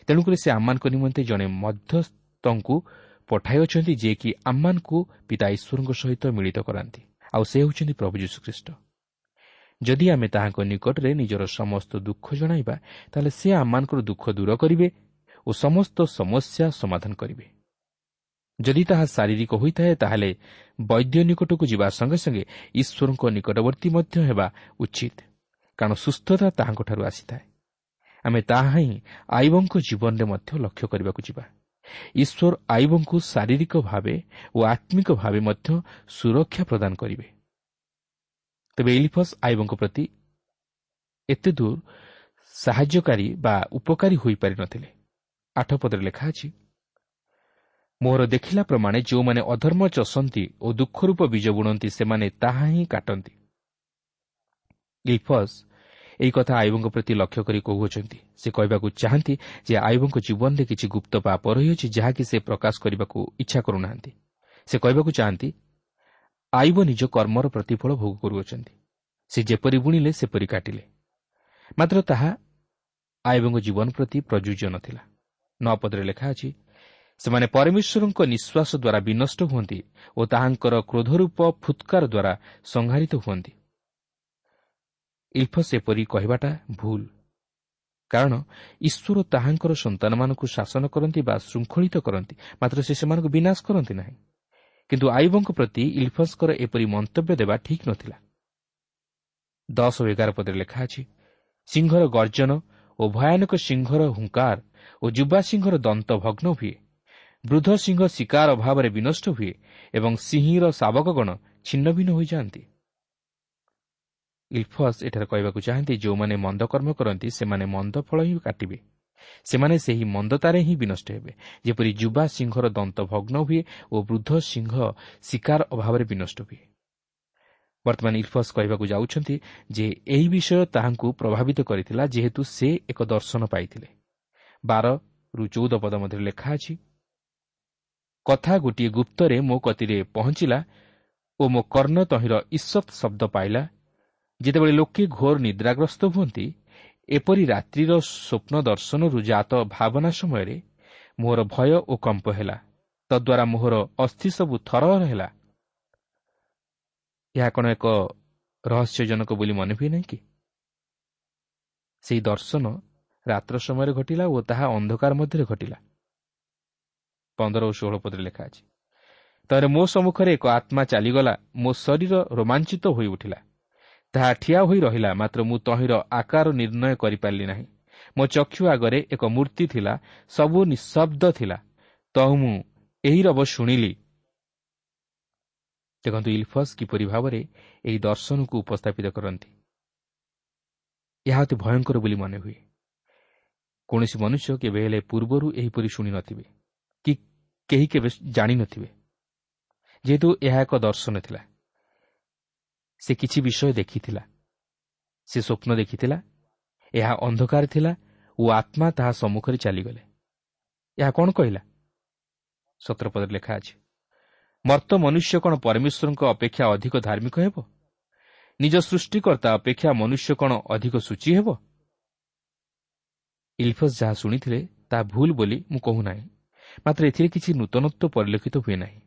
ତେଣୁକରି ସେ ଆମମାନଙ୍କ ନିମନ୍ତେ ଜଣେ ମଧ୍ୟସ୍ଥଙ୍କୁ ପଠାଇଅଛନ୍ତି, ଯିଏକି ଆମମାନଙ୍କୁ ପିତା ଈଶ୍ୱରଙ୍କ ସହିତ ମିଳିତ କରାନ୍ତି, ଆଉ ସେ ହେଉଛନ୍ତି ପ୍ରଭୁ ଯୀଶୁଖ୍ରୀଷ୍ଟ। ଯଦି ଆମେ ତାହାଙ୍କ ନିକଟରେ ନିଜର ସମସ୍ତ ଦୁଃଖ ଜଣାଇବା, ତାହେଲେ ସେ ଆମମାନଙ୍କର ଦୁଃଖ ଦୂର କରିବେ ଓ ସମସ୍ତ ସମସ୍ୟା ସମାଧାନ କରିବେ। ଯଦି ତାହା ଶାରୀରିକ ହୋଇଥାଏ, ତାହେଲେ ବୈଦ୍ୟ ନିକଟକୁ ଯିବା ସଙ୍ଗେ ସଙ୍ଗେ ଈଶ୍ୱରଙ୍କ ନିକଟବର୍ତ୍ତୀ ମଧ୍ୟ ହେବା ଉଚିତ, କାରଣ ସୁସ୍ଥତା ତାହାଙ୍କଠାରୁ ଆସିଥାଏ। ଆମେ ତାହା ହିଁ ଆଇବଙ୍କ ଜୀବନରେ ମଧ୍ୟ ଲକ୍ଷ୍ୟ କରିବାକୁ ଯିବା। ଈଶ୍ୱର ଆଇବଙ୍କୁ ଶାରୀରିକ ଭାବେ ଓ ଆତ୍ମିକ ଭାବେ ମଧ୍ୟ ସୁରକ୍ଷା ପ୍ରଦାନ କରିବେ। ତେବେ ଏଲିଫସ୍ ଆଇବଙ୍କ ପ୍ରତି ଏତେ ଦୂର ସାହାଯ୍ୟକାରୀ ବା ଉପକାରୀ ହୋଇପାରିନଥିଲେ। ଆଠ ପଦରେ ଲେଖା ଅଛି, ମୋର ଦେଖିଲା ପ୍ରମାଣେ ଯେଉଁମାନେ ଅଧର୍ମ ଚଷନ୍ତି ଓ ଦୁଃଖରୂପ ବୀଜ ବୁଣନ୍ତି, ସେମାନେ ତାହା ହିଁ କାଟନ୍ତି। ଇଲଫସ୍ ଏହି କଥା ଆଇବଙ୍କ ପ୍ରତି ଲକ୍ଷ୍ୟ କରି କହୁଅଛନ୍ତି। ସେ କହିବାକୁ ଚାହାନ୍ତି ଯେ ଆଇବଙ୍କ ଜୀବନରେ କିଛି ଗୁପ୍ତ ପାପ ରହିଅଛି, ଯାହାକି ସେ ପ୍ରକାଶ କରିବାକୁ ଇଚ୍ଛା କରୁନାହାନ୍ତି। ସେ କହିବାକୁ ଚାହାନ୍ତି ଆଇବ ନିଜ କର୍ମର ପ୍ରତିଫଳ ଭୋଗ କରୁଅଛନ୍ତି। ସେ ଯେପରି ବୁଣିଲେ ସେପରି କାଟିଲେ, ମାତ୍ର ତାହା ଆଇବଙ୍କ ଜୀବନ ପ୍ରତି ପ୍ରଯୁଜ୍ୟ ନଥିଲା। ନଅ ପଦରେ ଲେଖା ଅଛି, ସେମାନେ ପରମେଶ୍ୱରଙ୍କ ନିଶ୍ୱାସ ଦ୍ୱାରା ବିନଷ୍ଟ ହୁଅନ୍ତି ଓ ତାହାଙ୍କର କ୍ରୋଧରୂପ ଫୁତ୍କାର ଦ୍ୱାରା ସଂହାରିତ ହୁଅନ୍ତି। ଇଲଫସ୍ ଏପରି କହିବାଟା ଭୁଲ, କାରଣ ଈଶ୍ୱର ତାହାଙ୍କର ସନ୍ତାନମାନଙ୍କୁ ଶାସନ କରନ୍ତି ବା ଶୃଙ୍ଖଳିତ କରନ୍ତି, ମାତ୍ର ସେ ସେମାନଙ୍କୁ ବିନାଶ କରନ୍ତି ନାହିଁ। କିନ୍ତୁ ଆଇବଙ୍କ ପ୍ରତି ଇଲଫସ୍ଙ୍କର ଏପରି ମନ୍ତବ୍ୟ ଦେବା ଠିକ୍ ନଥିଲା। ଦଶ ଓ ଏଗାର ପଦରେ ଲେଖା ଅଛି, ସିଂହର ଗର୍ଜନ ଓ ଭୟାନକ ସିଂହର ହୁଙ୍କାର ଓ ଯୁବା ସିଂହର ଦନ୍ତ ଭଗ୍ନ ହୁଏ। ବୃଦ୍ଧ ସିଂହ ଶିକାର ଅଭାବରେ ବିନଷ୍ଟ ହୁଏ ଏବଂ ସିଂହୀର ଶାବକଗଣ ଛିନ୍ନଭିନ୍ନ ହୋଇଯାଆନ୍ତି। ଇଲଫସ୍ ଏଠାରେ କହିବାକୁ ଚାହାନ୍ତି, ଯେଉଁମାନେ ମନ୍ଦ କର୍ମ କରନ୍ତି ସେମାନେ ମନ୍ଦ ଫଳ ହିଁ କାଟିବେ। ସେମାନେ ସେହି ମନ୍ଦତାରେ ହିଁ ବିନଷ୍ଟ ହେବେ, ଯେପରି ଯୁବା ସିଂହର ଦନ୍ତ ଭଗ୍ନ ହୁଏ ଓ ବୃଦ୍ଧ ସିଂହ ଶିକାର ଅଭାବରେ ବିନଷ୍ଟ ହୁଏ। ବର୍ତ୍ତମାନ ଇଲଫସ୍ କହିବାକୁ ଯାଉଛନ୍ତି ଯେ ଏହି ବିଷୟ ତାହାଙ୍କୁ ପ୍ରଭାବିତ କରିଥିଲା, ଯେହେତୁ ସେ ଏକ ଦର୍ଶନ ପାଇଥିଲେ। ବାରରୁ ଚଉଦ ପଦ ମଧ୍ୟରେ ଲେଖା ଅଛି, କଥା ଗୋଟିଏ ଗୁପ୍ତରେ ମୋ କତିରେ ପହଞ୍ଚିଲା ଓ ମୋ କର୍ଣ୍ଣ ତହିଁର ଈଷତ୍ ଶବ୍ଦ ପାଇଲା। ଯେତେବେଳେ ଲୋକେ ଘୋର ନିଦ୍ରାଗ୍ରସ୍ତ ହୁଅନ୍ତି, ଏପରି ରାତ୍ରିର ସ୍ୱପ୍ନ ଦର୍ଶନରୁ ଜାତ ଭାବନା ସମୟରେ ମୋର ଭୟ ଓ କମ୍ପ ହେଲା, ତଦ୍ୱାରା ମୋହର ଅସ୍ଥି ସବୁ ଥରହର ହେଲା। ଏହା କ'ଣ ଏକ ରହସ୍ୟଜନକ ବୋଲି ମନେ ହୁଏ ନାହିଁ କି? ସେହି ଦର୍ଶନ ରାତ୍ର ସମୟରେ ଘଟିଲା ଓ ତାହା ଅନ୍ଧକାର ମଧ୍ୟରେ ଘଟିଲା। ପନ୍ଦର ଓ ଷୋହଳ ପଦରେ ଲେଖା ଅଛି, ତାରେ ମୋ ସମ୍ମୁଖରେ ଏକ ଆତ୍ମା ଚାଲିଗଲା, ମୋ ଶରୀର ରୋମାଞ୍ଚିତ ହୋଇ ଉଠିଲା, ତାହା ଠିଆ ହୋଇ ରହିଲା, ମାତ୍ର ମୁଁ ତହିଁର ଆକାର ନିର୍ଣ୍ଣୟ କରିପାରିଲି ନାହିଁ। ମୋ ଚକ୍ଷୁ ଆଗରେ ଏକ ମୂର୍ତ୍ତି ଥିଲା, ସବୁ ନିଃଶବ୍ଦ ଥିଲା, ତହୁଁ ମୁଁ ଏହି ରବ ଶୁଣିଲି। ଦେଖନ୍ତୁ ଇଲଫସ୍ କିପରି ଭାବରେ ଏହି ଦର୍ଶନକୁ ଉପସ୍ଥାପିତ କରନ୍ତି। ଏହା ଅତି ଭୟଙ୍କର ବୋଲି ମନେ ହୁଏ। କୌଣସି ମନୁଷ୍ୟ କେବେ ହେଲେ ପୂର୍ବରୁ ଏହିପରି ଶୁଣିନଥିବେ କି କେହି କେବେ ଜାଣିନଥିବେ। ଯେହେତୁ ଏହା ଏକ ଦର୍ଶନ ଥିଲା, ସେ କିଛି ବିଷୟ ଦେଖିଥିଲା, ସେ ସ୍ୱପ୍ନ ଦେଖିଥିଲା, ଏହା ଅନ୍ଧକାର ଥିଲା ଓ ଆତ୍ମା ତାହା ସମ୍ମୁଖରେ ଚାଲିଗଲେ। ଏହା କ'ଣ କହିଲା? ସତର ପଦରେ ଲେଖା ଅଛି, ମର୍ତ୍ତ ମନୁଷ୍ୟ କ'ଣ ପରମେଶ୍ୱରଙ୍କ ଅପେକ୍ଷା ଅଧିକ ଧାର୍ମିକ ହେବ? ନିଜ ସୃଷ୍ଟିକର୍ତ୍ତା ଅପେକ୍ଷା ମନୁଷ୍ୟ କ'ଣ ଅଧିକ ସୂଚୀ ହେବ? ଇଲଫସ୍ ଯାହା ଶୁଣିଥିଲେ ତାହା ଭୁଲ ବୋଲି ମୁଁ କହୁନାହିଁ, ମାତ୍ର ଏଥିରେ କିଛି ନୂତନତ୍ୱ ପରିଲକ୍ଷିତ ହୁଏ ନାହିଁ।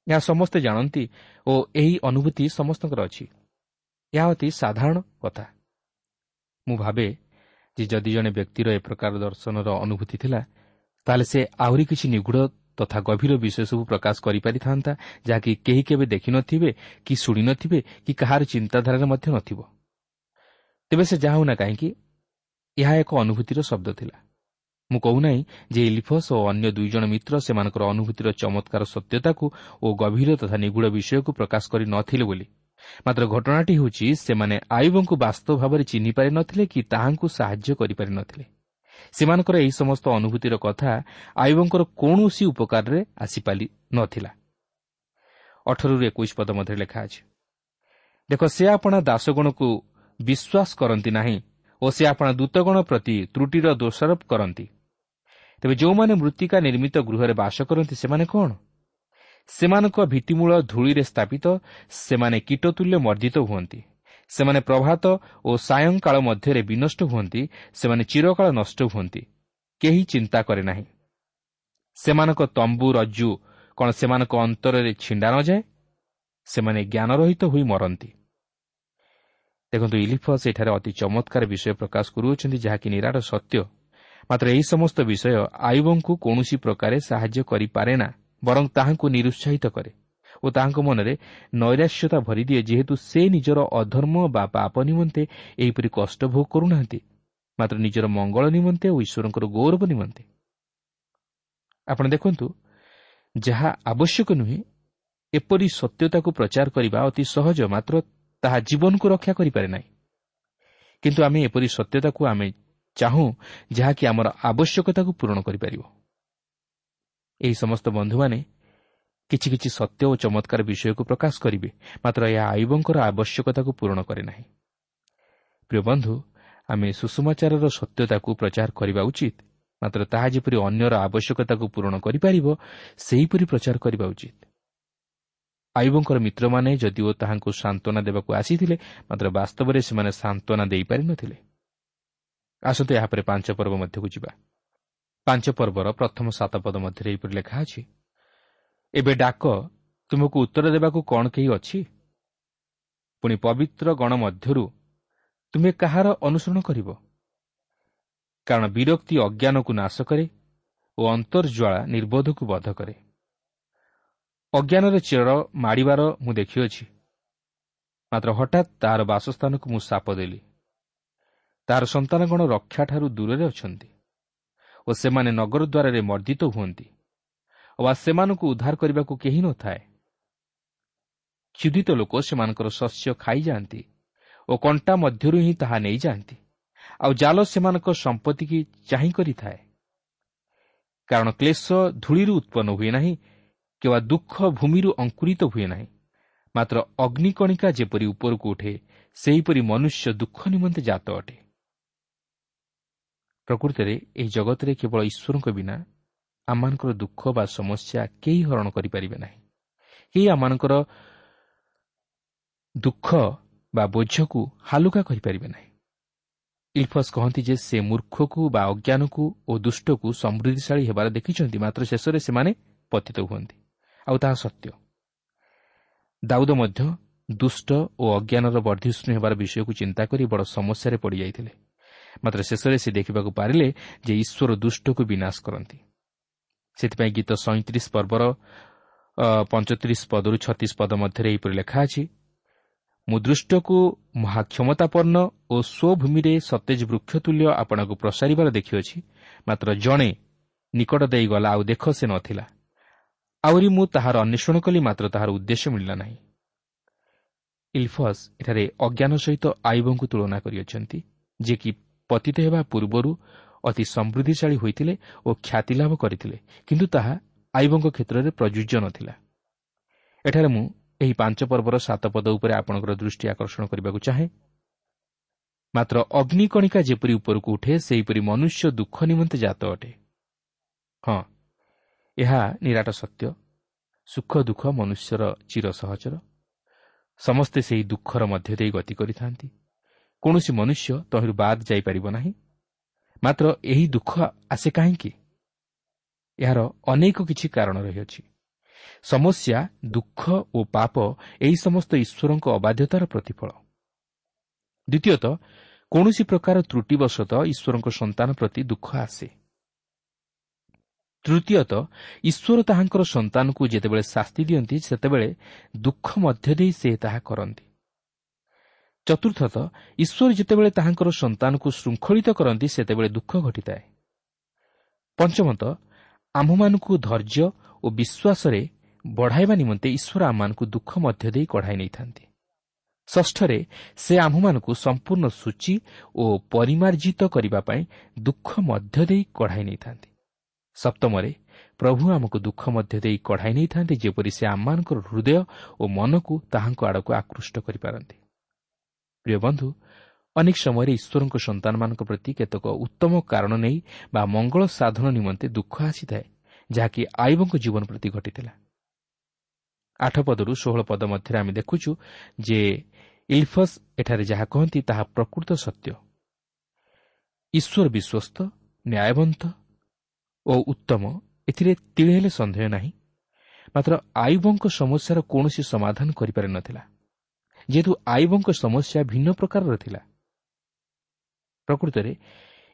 ଏହା ସମସ୍ତେ ଜାଣନ୍ତି ଓ ଏହି ଅନୁଭୂତି ସମସ୍ତଙ୍କର ଅଛି। ଏହା ଅତି ସାଧାରଣ କଥା। ମୁଁ ଭାବେ ଯେ ଯଦି ଜଣେ ବ୍ୟକ୍ତିର ଏ ପ୍ରକାର ଦର୍ଶନର ଅନୁଭୂତି ଥିଲା, ତାହେଲେ ସେ ଆହୁରି କିଛି ନିଗୂଢ଼ ତଥା ଗଭୀର ବିଷୟ ସବୁ ପ୍ରକାଶ କରିପାରିଥାନ୍ତା, ଯାହାକି କେହି କେବେ ଦେଖିନଥିବେ କି ଶୁଣିନଥିବେ କି କାହାର ଚିନ୍ତାଧାରାରେ ମଧ୍ୟ ନଥିବ। ତେବେ ସେ ଯାହା ହେଉନା କାହିଁକି, ଏହା ଏକ ଅନୁଭୂତିର ଶବ୍ଦ ଥିଲା। ମୁଁ କହୁନାହିଁ ଯେ ଇଲିଫସ୍ ଓ ଅନ୍ୟ ଦୁଇ ଜଣ ମିତ୍ର ସେମାନଙ୍କର ଅନୁଭୂତିର ଚମତ୍କାର ସତ୍ୟତାକୁ ଓ ଗଭୀର ତଥା ନିଗୂଢ଼ ବିଷୟକୁ ପ୍ରକାଶ କରି ନଥିଲେ ବୋଲି। ମାତ୍ର ଘଟଣାଟି ହେଉଛି ସେମାନେ ଆୟୁବଙ୍କୁ ବାସ୍ତବ ଭାବରେ ଚିହ୍ନି ପାରିନଥିଲେ କି ତାହାଙ୍କୁ ସାହାଯ୍ୟ କରିପାରିନଥିଲେ। ସେମାନଙ୍କର ଏହି ସମସ୍ତ ଅନୁଭୂତିର କଥା ଆୟୁବଙ୍କର କୌଣସି ଉପକାରରେ ଆସିପାରି ନଥିଲା। ଅଠରରୁ ଏକୋଇଶ ପଦ ମଧ୍ୟରେ ଲେଖା ଅଛି, ଦେଖ, ସେ ଆପଣା ଦାସଗଣକୁ ବିଶ୍ୱାସ କରନ୍ତି ନାହିଁ ଓ ସେ ଆପଣା ଦୂତଗଣ ପ୍ରତି ତ୍ରୁଟିର ଦୋଷାରୋପ କରନ୍ତି। ତେବେ ଯେଉଁମାନେ ମୃତ୍ତିକା ନିର୍ମିତ ଗୃହରେ ବାସ କରନ୍ତି ସେମାନେ କ'ଣ? ସେମାନଙ୍କ ଭିତ୍ତିମୂଳ ଧୂଳିରେ ସ୍ଥାପିତ, ସେମାନେ କୀଟତୁଲ୍ୟ ମର୍ଦ୍ଦିତ ହୁଅନ୍ତି। ସେମାନେ ପ୍ରଭାତ ଓ ସାୟଂକାଳ ମଧ୍ୟରେ ବିନଷ୍ଟ ହୁଅନ୍ତି, ସେମାନେ ଚିରକାଳ ନଷ୍ଟ ହୁଅନ୍ତି, କେହି ଚିନ୍ତା କରେ ନାହିଁ। ସେମାନଙ୍କ ତମ୍ବୁ ରଜ୍ଜୁ କ'ଣ ସେମାନଙ୍କ ଅନ୍ତରରେ ଛିଣ୍ଡା ନଯାଏ? ସେମାନେ ଜ୍ଞାନରହିତ ହୋଇ ମରନ୍ତି। ଦେଖନ୍ତୁ, ଇଲିଫସ୍ ଏଠାରେ ଅତି ଚମତ୍କାର ବିଷୟ ପ୍ରକାଶ କରୁଅଛନ୍ତି, ଯାହାକି ନିରାଟ ସତ୍ୟ। ମାତ୍ର ଏହି ସମସ୍ତ ବିଷୟ ଆୟୁବଙ୍କୁ କୌଣସି ପ୍ରକାରେ ସାହାଯ୍ୟ କରିପାରେ ନା, ବରଂ ତାହାଙ୍କୁ ନିରୁତ୍ସାହିତ କରେ ଓ ତାହାଙ୍କ ମନରେ ନୈରାଶ୍ୟତା ଭରିଦିଏ, ଯେହେତୁ ସେ ନିଜର ଅଧର୍ମ ବା ପାପ ନିମନ୍ତେ ଏହିପରି କଷ୍ଟ ଭୋଗ କରୁନାହାନ୍ତି, ମାତ୍ର ନିଜର ମଙ୍ଗଳ ନିମନ୍ତେ ଓ ଈଶ୍ୱରଙ୍କର ଗୌରବ ନିମନ୍ତେ। ଆପଣ ଦେଖନ୍ତୁ, ଯାହା ଆବଶ୍ୟକ ନୁହେଁ ଏପରି ସତ୍ୟତାକୁ ପ୍ରଚାର କରିବା ଅତି ସହଜ, ମାତ୍ର ତାହା ଜୀବନକୁ ରକ୍ଷା କରିପାରେ ନାହିଁ। କିନ୍ତୁ ଆମେ ଏପରି ସତ୍ୟତାକୁ ଆମେ ଚାହୁଁ ଯାହାକି ଆମର ଆବଶ୍ୟକତାକୁ ପୂରଣ କରିପାରିବ। ଏହି ସମସ୍ତ ବନ୍ଧୁମାନେ କିଛି କିଛି ସତ୍ୟ ଓ ଚମତ୍କାର ବିଷୟକୁ ପ୍ରକାଶ କରିବେ, ମାତ୍ର ଏହା ଆୟୁବଙ୍କର ଆବଶ୍ୟକତାକୁ ପୂରଣ କରେ ନାହିଁ। ପ୍ରିୟ ବନ୍ଧୁ, ଆମେ ସୁସମାଚାରର ସତ୍ୟତାକୁ ପ୍ରଚାର କରିବା ଉଚିତ, ମାତ୍ର ତାହା ଯେପରି ଅନ୍ୟର ଆବଶ୍ୟକତାକୁ ପୂରଣ କରିପାରିବ ସେହିପରି ପ୍ରଚାର କରିବା ଉଚିତ। ଆୟୁବଙ୍କର ମିତ୍ରମାନେ ଯଦିଓ ତାହାଙ୍କୁ ସାନ୍ତ୍ୱନା ଦେବାକୁ ଆସିଥିଲେ, ମାତ୍ର ବାସ୍ତବରେ ସେମାନେ ସାନ୍ତ୍ୱନା ଦେଇପାରିନଥିଲେ। ଆସନ୍ତୁ ଏହାପରେ ପାଞ୍ଚ ପର୍ବ ମଧ୍ୟକୁ ଯିବା। ପାଞ୍ଚ ପର୍ବର ପ୍ରଥମ ସାତ ପଦ ମଧ୍ୟରେ ଏହିପରି ଲେଖା ଅଛି, ଏବେ ଡାକ, ତୁମକୁ ଉତ୍ତର ଦେବାକୁ କ'ଣ କେହି ଅଛି? ପୁଣି ପବିତ୍ର ଗଣ ମଧ୍ୟରୁ ତୁମେ କାହାର ଅନୁସରଣ କରିବ? କାରଣ ବିରକ୍ତି ଅଜ୍ଞାନକୁ ନାଶ କରେ ଓ ଅନ୍ତର୍ଜ୍ୱାଳା ନିର୍ବୋଧକୁ ବଧ କରେ। ଅଜ୍ଞାନର ଚେର ମାଡ଼ିବାର ମୁଁ ଦେଖିଅଛି, ମାତ୍ର ହଠାତ୍ ତାହାର ବାସସ୍ଥାନକୁ ମୁଁ ଶାପ ଦେଲି। ତାହାର ସନ୍ତାନଗଣ ରକ୍ଷାଠାରୁ ଦୂରରେ ଅଛନ୍ତି ଓ ସେମାନେ ନଗର ଦ୍ୱାରରେ ମର୍ଦ୍ଦିତ ହୁଅନ୍ତି ଅବା ସେମାନଙ୍କୁ ଉଦ୍ଧାର କରିବାକୁ କେହି ନଥାଏ। କ୍ଷୁଧିତ ଲୋକ ସେମାନଙ୍କର ଶସ୍ୟ ଖାଇଯାଆନ୍ତି ଓ କଣ୍ଟା ମଧ୍ୟରୁ ହିଁ ତାହା ନେଇଯାଆନ୍ତି, ଆଉ ଜାଲ ସେମାନଙ୍କ ସମ୍ପତ୍ତିକି ଚାହିଁ କରିଥାଏ। କାରଣ କ୍ଲେଶ ଧୂଳିରୁ ଉତ୍ପନ୍ନ ହୁଏ ନାହିଁ, କିମ୍ବା ଦୁଃଖ ଭୂମିରୁ ଅଙ୍କୁରିତ ହୁଏ ନାହିଁ। ମାତ୍ର ଅଗ୍ନିକଣିକା ଯେପରି ଉପରକୁ ଉଠେ, ସେହିପରି ମନୁଷ୍ୟ ଦୁଃଖ ନିମନ୍ତେ ଜାତ ଅଟେ। ପ୍ରକୃତରେ ଏହି ଜଗତରେ କେବଳ ଈଶ୍ୱରଙ୍କ ବିନା ଆମମାନଙ୍କର ଦୁଃଖ ବା ସମସ୍ୟା କେହି ହରଣ କରିପାରିବେ ନାହିଁ। କେହି ଆମମାନଙ୍କର ଦୁଃଖ ବା ବୋଝକୁ ହାଲୁକା କରିପାରିବେ ନାହିଁ। ଇଲଫସ୍ କହନ୍ତି ଯେ ସେ ମୂର୍ଖକୁ ବା ଅଜ୍ଞାନକୁ ଓ ଦୁଷ୍ଟକୁ ସମୃଦ୍ଧିଶାଳୀ ହେବାର ଦେଖିଛନ୍ତି, ମାତ୍ର ଶେଷରେ ସେମାନେ ପତିତ ହୁଅନ୍ତି, ଆଉ ତାହା ସତ୍ୟ। ଦାଉଦ ମଧ୍ୟ ଦୁଷ୍ଟ ଓ ଅଜ୍ଞାନର ବର୍ଦ୍ଧିଷ୍ଣୁ ହେବାର ବିଷୟକୁ ଚିନ୍ତା କରି ବଡ଼ ସମସ୍ୟାରେ ପଡ଼ିଯାଇଥିଲେ, ମାତ୍ର ଶେଷରେ ସେ ଦେଖିବାକୁ ପାରିଲେ ଯେ ଈଶ୍ୱର ଦୁଷ୍ଟକୁ ବିନାଶ କରନ୍ତି। ସେଥିପାଇଁ ଗୀତ ସଇଁତିରିଶ ପର୍ବର ପଞ୍ଚତିରିଶ ପଦରୁ ଛତିଶ ପଦ ମଧ୍ୟରେ ଏହିପରି ଲେଖା ଅଛି, ମୁଁ ଦୃଷ୍ଟକୁ ମହାକ୍ଷମତାପନ୍ନ ଓ ସ୍ୱଭୂମିରେ ସତେଜ ବୃକ୍ଷ ତୁଲ୍ୟ ଆପଣଙ୍କୁ ପ୍ରସାରିବାର ଦେଖିଅଛି, ମାତ୍ର ଜଣେ ନିକଟ ଦେଇଗଲା, ଆଉ ଦେଖ ସେ ନଥିଲା। ଆହୁରି ମୁଁ ତାହାର ଅନ୍ୱେଷଣ କଲି, ମାତ୍ର ତାହାର ଉଦ୍ଦେଶ୍ୟ ମିଳିଲା ନାହିଁ। ଇଲଫସ୍ ଏଠାରେ ଅଜ୍ଞାନ ସହିତ ଆୟୁବଙ୍କୁ ତୁଳନା କରିଅଛନ୍ତି, ଯିଏକି ପତିତ ହେବା ପୂର୍ବରୁ ଅତି ସମୃଦ୍ଧିଶାଳୀ ହୋଇଥିଲେ ଓ ଖ୍ୟାତି ଲାଭ କରିଥିଲେ, କିନ୍ତୁ ତାହା ଆୟୁବଙ୍କ କ୍ଷେତ୍ରରେ ପ୍ରଯୁଜ୍ୟ ନଥିଲା। ଏଠାରେ ମୁଁ ଏହି ପାଞ୍ଚ ପର୍ବର ସାତ ପଦ ଉପରେ ଆପଣଙ୍କର ଦୃଷ୍ଟି ଆକର୍ଷଣ କରିବାକୁ ଚାହେଁ। ମାତ୍ର ଅଗ୍ନିକଣିକା ଯେପରି ଉପରକୁ ଉଠେ, ସେହିପରି ମନୁଷ୍ୟ ଦୁଃଖ ନିମନ୍ତେ ଜାତ ଅଟେ। ହଁ, ଏହା ନିରାଟ ସତ୍ୟ। ସୁଖ ଦୁଃଖ ମନୁଷ୍ୟର ଚିର ସହଚର। ସମସ୍ତେ ସେହି ଦୁଃଖର ମଧ୍ୟ ଦେଇ ଗତି କରିଥାନ୍ତି। କୌଣସି ମନୁଷ୍ୟ ତହିଁରୁ ବାଦ ଯାଇପାରିବ ନାହିଁ। ମାତ୍ର ଏହି ଦୁଃଖ ଆସେ କାହିଁକି? ଏହାର ଅନେକ କିଛି କାରଣ ରହିଅଛି। ସମସ୍ୟା, ଦୁଃଖ ଓ ପାପ ଏହି ସମସ୍ତ ଈଶ୍ୱରଙ୍କ ଅବାଧ୍ୟତାର ପ୍ରତିଫଳ। ଦ୍ୱିତୀୟତଃ, କୌଣସି ପ୍ରକାର ତ୍ରୁଟିବଶତଃ ଈଶ୍ୱରଙ୍କ ସନ୍ତାନ ପ୍ରତି ଦୁଃଖ ଆସେ। ତୃତୀୟତଃ, ଈଶ୍ୱର ତାହାଙ୍କର ସନ୍ତାନକୁ ଯେତେବେଳେ ଶାସ୍ତି ଦିଅନ୍ତି, ସେତେବେଳେ ଦୁଃଖ ମଧ୍ୟ ଦେଇ ସେ ତାହା କରନ୍ତି। ଚତୁର୍ଥତଃ, ଈଶ୍ୱର ଯେତେବେଳେ ତାହାଙ୍କର ସନ୍ତାନକୁ ଶୃଙ୍ଖଳିତ କରନ୍ତି, ସେତେବେଳେ ଦୁଃଖ ଘଟିଥାଏ। ପଞ୍ଚମତଃ, ଆମ୍ଭମାନଙ୍କୁ ଧୈର୍ଯ୍ୟ ଓ ବିଶ୍ୱାସରେ ବଢ଼ାଇବା ନିମନ୍ତେ ଈଶ୍ୱର ଆମମାନଙ୍କୁ ଦୁଃଖ ମଧ୍ୟ ଦେଇ କଢ଼ାଇ ନେଇଥାନ୍ତି। ଷଷ୍ଠରେ, ସେ ଆମ୍ଭମାନଙ୍କୁ ସମ୍ପୂର୍ଣ୍ଣ ସୂଚୀ ଓ ପରିମାର୍ଜିତ କରିବା ପାଇଁ ଦୁଃଖ ମଧ୍ୟ ଦେଇ କଢ଼ାଇ ନେଇଥାନ୍ତି। ସପ୍ତମରେ, ପ୍ରଭୁ ଆମକୁ ଦୁଃଖ ମଧ୍ୟ ଦେଇ କଢ଼ାଇ ନେଇଥାନ୍ତି, ଯେପରି ସେ ଆମମାନଙ୍କର ହୃଦୟ ଓ ମନକୁ ତାହାଙ୍କ ଆଡ଼କୁ ଆକୃଷ୍ଟ କରିପାରନ୍ତି। ପ୍ରିୟ ବନ୍ଧୁ, ଅନେକ ସମୟରେ ଈଶ୍ୱରଙ୍କ ସନ୍ତାନମାନଙ୍କ ପ୍ରତି କେତେକ ଉତ୍ତମ କାରଣ ନେଇ ବା ମଙ୍ଗଳ ସାଧନ ନିମନ୍ତେ ଦୁଃଖ ଆସିଥାଏ, ଯାହାକି ଆୟୁବଙ୍କ ଜୀବନ ପ୍ରତି ଘଟିଥିଲା। ଆଠ ପଦରୁ ଷୋହଳ ପଦ ମଧ୍ୟରେ ଆମେ ଦେଖୁଛୁ ଯେ ଇଲଫସ୍ ଏଠାରେ ଯାହା କହନ୍ତି ତାହା ପ୍ରକୃତ ସତ୍ୟ। ଈଶ୍ୱର ବିଶ୍ୱସ୍ତ, ନ୍ୟାୟବନ୍ତ ଓ ଉତ୍ତମ, ଏଥିରେ ତିଳେ ହେଲେ ସନ୍ଦେହ ନାହିଁ। ମାତ୍ର ଆୟୁବଙ୍କ ସମସ୍ୟାର କୌଣସି ସମାଧାନ କରିପାରିନଥିଲା, ଯେହେତୁ ଆୟୁବଙ୍କ ସମସ୍ୟା ଭିନ୍ନ ପ୍ରକାରର ଥିଲା। ପ୍ରକୃତରେ